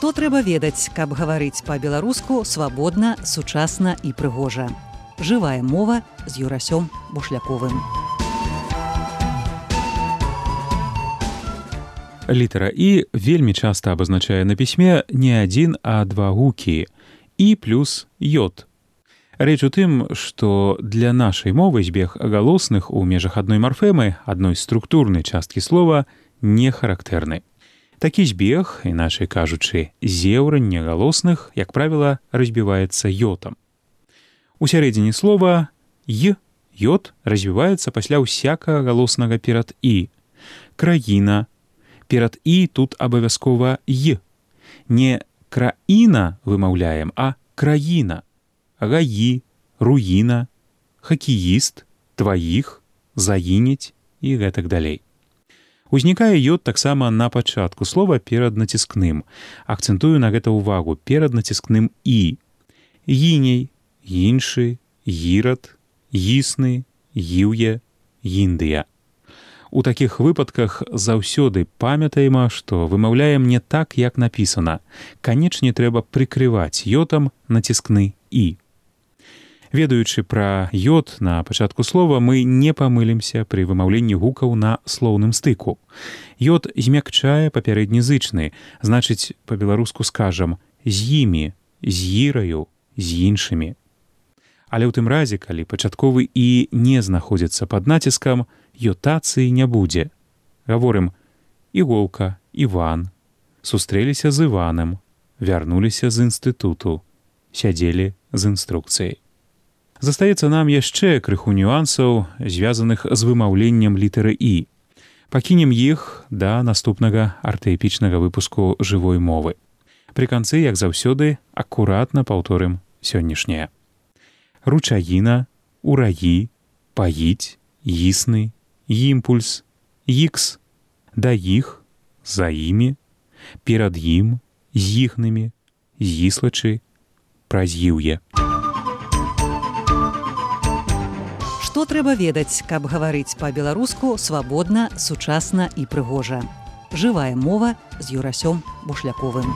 Што трэба ведаць, каб гаварыць па-беларуску свабодна, сучасна і прыгожа. Жывая мова з Юрасём Бушляковым. Літара «і» вельмі часта абазначае на пісьме не адзін, а два гукі «і» плюс «йод». Рэч у тым, што для нашай мовы збег галосных у межах адной марфемы, адной структурнай часткі слова, не характэрны. Такі збег, іначай кажучы, зеўранне галосных, як правіла, разбіваецца йотам. У сярэдзіне слова «й» йод развіваецца пасля ўсякага галоснага перад «і». Краіна. Перад «і» тут абавязкова «й». Не краіна вымаўляем, а краіна. Гаі, руіна, хакеіст, тваіх, заінець і гэтак далей. Узнікае йод таксама на пачатку слова перад націскным. Акцэнтую на гэта ўвагу, перад націскным «і». Гіней, іншы, гірад, гісны, гіўе, гіндыя. У такіх выпадках заўсёды памятаем, што вымаўляем не так, як напісана. Канечне трэба прыкрываць йодам націскны «і». Ведаючы пра йод на пачатку слова, мы не памылімся пры вымаўленні гукаў на слоўным стыку. Йод змякчае папярэдні зычны, значыць, па-беларуску скажам «з імі», «з іраю», «з іншымі». Але ў тым разе, калі пачатковы «і» не знаходзіцца пад націскам, йотацыі не будзе. Гаворым «іголка», «іван», «сустрэліся з Іванам», «вярнуліся з інстытуту», «сядзелі з інструкцыяй». Застаецца нам яшчэ крыху нюансаў, звязаных з вымаўленнем літары «і». Пакінем іх да наступнага артаэпічнага выпуску жывой мовы. Пры канцы, як заўсёды, акуратна паўторым сённяшняе. Ручаіна, ураі, паіць, існы, імпульс, ікс, да іх, за імі, перад ім, з іхнымі, зіслачы, праз іўе. Што трэба ведаць, каб гаварыць па-беларуску свабодна, сучасна і прыгожа. Жывая мова з Юрасём Бушляковым.